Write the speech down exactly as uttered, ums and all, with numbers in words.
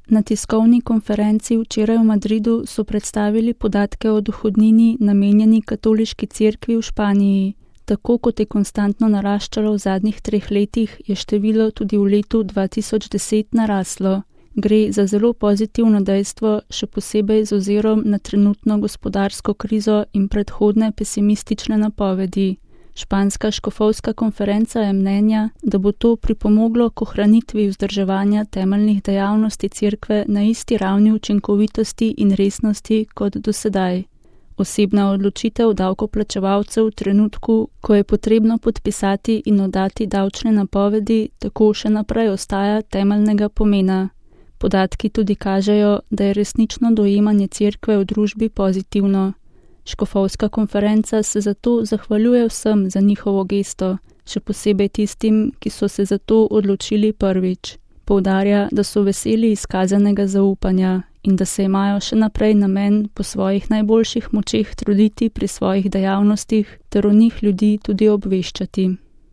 Na tiskovni konferenci včeraj v Madridu so predstavili podatke o dohodnini, namenjeni Katoliški cerkvi v Španiji. Tako kot je konstantno naraščalo v zadnjih treh letih, je število tudi v letu dva tisoč deset naraslo. Gre za zelo pozitivno dejstvo, še posebej z ozirom na trenutno gospodarsko krizo in predhodne pesimistične napovedi. Španska škofovska konferenca je mnenja, da bo to pripomoglo k ohranitvi vzdrževanja temeljnih dejavnosti cerkve na isti ravni učinkovitosti in resnosti kot do sedaj. Osebna odločitev davkoplačevalcev v trenutku, ko je potrebno podpisati in oddati davčne napovedi, tako še naprej ostaja temeljnega pomena. Podatki tudi kažejo, da je resnično dojemanje cerkve v družbi pozitivno. Škofovska konferenca se zato zahvaljuje vsem za njihovo gesto, še posebej tistim, ki so se za to odločili prvič. Poudarja, da so veseli izkazanega zaupanja in da se imajo še naprej namen po svojih najboljših močeh truditi pri svojih dejavnostih ter o njih ljudi tudi obveščati.